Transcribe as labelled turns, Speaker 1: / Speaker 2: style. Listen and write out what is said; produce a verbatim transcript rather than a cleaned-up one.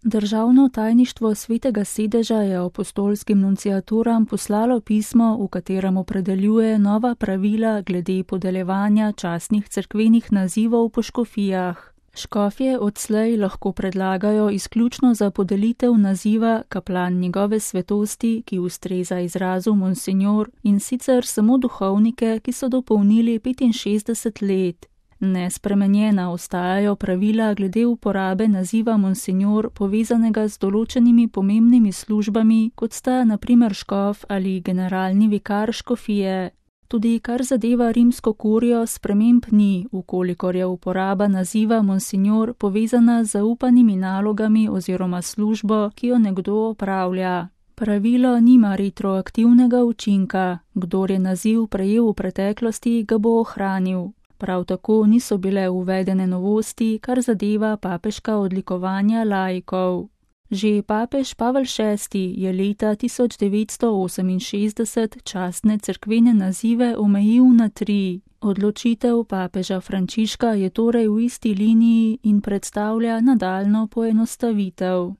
Speaker 1: Državno tajništvo Svetega sedeža je apostolskim nunciaturam poslalo pismo, v katerem opredeljuje nova pravila glede podeljevanja častnih cerkvenih nazivov po škofijah. Škofje odslej lahko predlagajo izključno za podelitev naziva kaplan njegove svetosti, ki ustreza izrazu monsinjor, in sicer samo duhovnike, ki so dopolnili petinšestdeset let. Nespremenjena ostajajo pravila glede uporabe naziva monsinjor povezanega z določenimi pomembnimi službami, kot sta na primer škof ali generalni vikar škofije. Tudi kar zadeva rimsko kurijo, sprememb ni, ukolikor je uporaba naziva monsinjor povezana z zaupanimi nalogami oziroma službo, ki jo nekdo opravlja. Pravilo nima retroaktivnega učinka, kdor je naziv prejel v preteklosti, ga bo ohranil. Prav tako niso bile uvedene novosti, kar zadeva papeška odlikovanja laikov. Že papež Pavel šesti je leta tisoč devetsto oseminšestdeset častne cerkvene nazive omejil na tri. Odločitev papeža Frančiška je torej v isti liniji in predstavlja nadaljnjo poenostavitev.